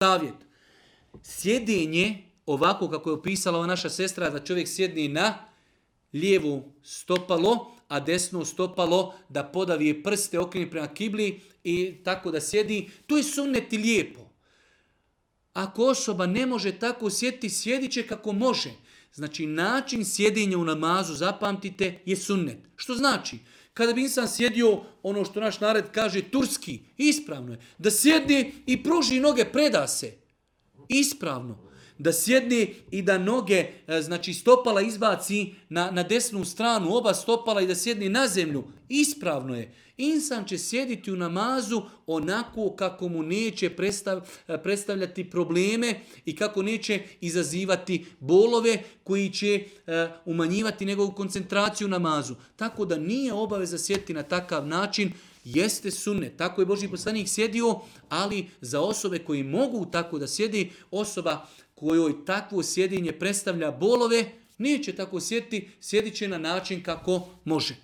Savjet. Sjedinje, ovako kako je opisala ova naša sestra, da čovjek sjedni na lijevu stopalo, a desno stopalo da podavije prste, okrene prema kibli i tako da sjedi, to je sunnet i lijepo. Ako osoba ne može tako sjediti, sjedit će kako može. Znači, način sjedinja u namazu, zapamtite, je sunnet. Što znači? Kada bi insan sjedio, ono što naš narod kaže, turski, ispravno je. Da sjedne i pruži noge, preda se. Ispravno. Da sjedne i da noge, znači stopala izbaci na desnu stranu, oba stopala i da sjedne na zemlju. Ispravno je. Insan će sjediti u namazu onako kako mu neće predstavljati probleme i kako neće izazivati bolove koji će umanjivati njegovu koncentraciju u namazu. Tako da nije obaveza sjediti na takav način, jeste sunnet. Tako je Božji poslanik sjedio, ali za osobe koji mogu tako da sjedi, osoba kojoj takvo sjedinje predstavlja bolove, neće tako sjediti, sjedit će na način kako može.